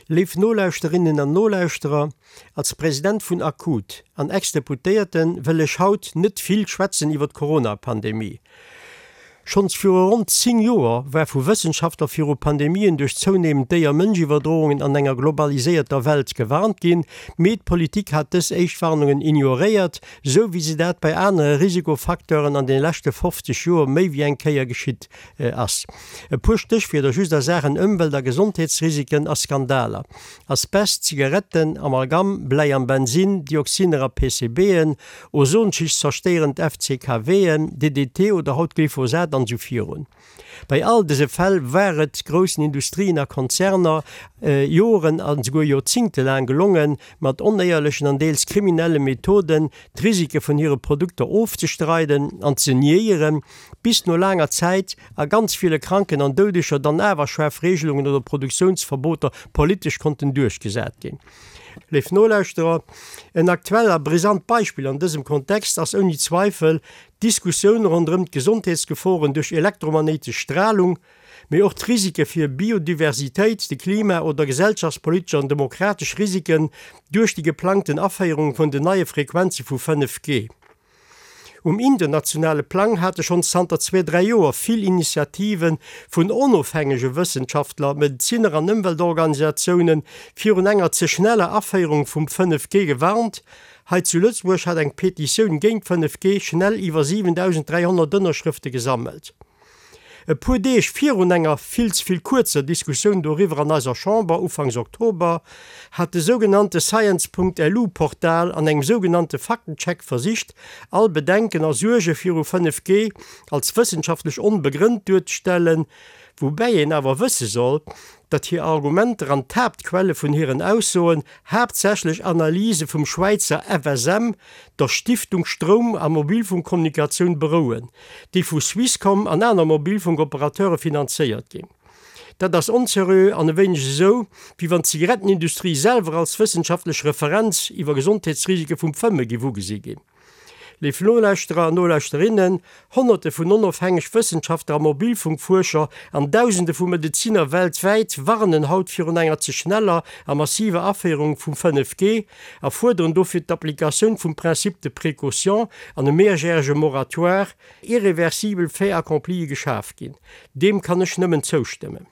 Léif Nolauschterinnen an Nolauschterer, als President vun ACUT an Ex-Deputéierten wëll ech haut net vill schwätzen iwwer d'Corona-Pandemie. Schonns viru ronn 10 Joer war vu Wëssenschaftler viru Pandemien duerch zounehmend Déier-Mënsch-Iwwerdroungen an enger globaliséierter Welt gewarnt ginn, mee d'Politik hat dës éischt Warnungen ignoréiert, sou wéi se dat bei anere Risikofacteuren an de leschte 50 Joer méi wéi eng Kéier geschitt ass. E puer Stéchwierder just a Saachen Ëmwelt a Gesondheetsrisiken a Skandaler, Asbest, Zigaretten, Amalgam, Bläi am Bensin, Dioxiner a PCBen, Ozonschicht zerstéierend FCKWen, DDT oder haut Glyphosat an esou virun. Bei all dëse Fäll war et groussen Industrien a Konzerner Joren an esouguer Joerzingte laang gelongen, mat onéierlechen an deels kriminelle Methoden d'Risike vun hire Produkter ofzestreiden an ze niéieren, bis no laanger Zäit a ganz ville Kranken an Doudeger dann awer schaarf Regelungen oder Produktiounsverboter politesch konnten duerchgesat ginn. Léif Nolauschterer, en aktuell a brisant Beispill an dësem Kontext ass ouni Zweifel d'Diskussioun ronderëm d'Gesondheetsgeforen duerch elektromagnéitesch Stralung, mee och d'Risike fir Biodiversitéit, de Klima oder gesellschaftspolitesch an demokratesch Risiken duerch déi geplangten Aféierung vun den neie Frequenze vu 5G. Um internationale Plang hate schonns zanter zwee, dräi Joer vill Initiative vun onofhängege Wëssenschaftler, Medezinner an Ëmweltorganisatioune virun enger ze schneller Aféierung vum 5G gewarnt. Hei zu Lëtzebuerg hat eng Petitioun géint 5G schnell iwwer 7.300 Ënnerschrëfte gesammelt. E puer Deeg virun enger vill ze vill kuerzer Diskussioun doriwwer an eiser Chamber ufanks Oktober, hat de sougenannte Science.lu-Portal an engem sougenannte Faktencheck versicht, all Bedenken a Suerge viru 5G als wëssenschaftlech onbegrënnt duerzestellen, woubäi een awer wësse soll, datt hir Argumenter an d'Haaptquelle vun hiren Aussoen haaptsächlech Analyse vum Schwäizer FSM, der Stiftung Stroum a Mobilfunkkommunikatioun, berouen, déi vu Swisscom an aner Mobilfunkoperateure finanzéiert ginn. Dat ass onseriö an e wéineg esou, wéi wann d'Zigarettenindustrie selwer als wëssenschaftlech Referenz iwwer Gesondheetsrisike vum Fëmme géif ugesi ginn. Léif Nolauschterer an Nolauschterinnen, Honnerte vun onofhängeg Wëssenschaftler a Mobilfunkfuerscher an Dausende vu Medeziner weltwäit warnen haut virun enger ze schneller a massiver Aféierung vum 5G a fuerderen dofir d'Applikatioun vum Principe de précaution an e mehrjährege Moratoire, irreversibel Fait-accomplie geschaf ginn. Deem kann ech nëmmen zoustëmmen.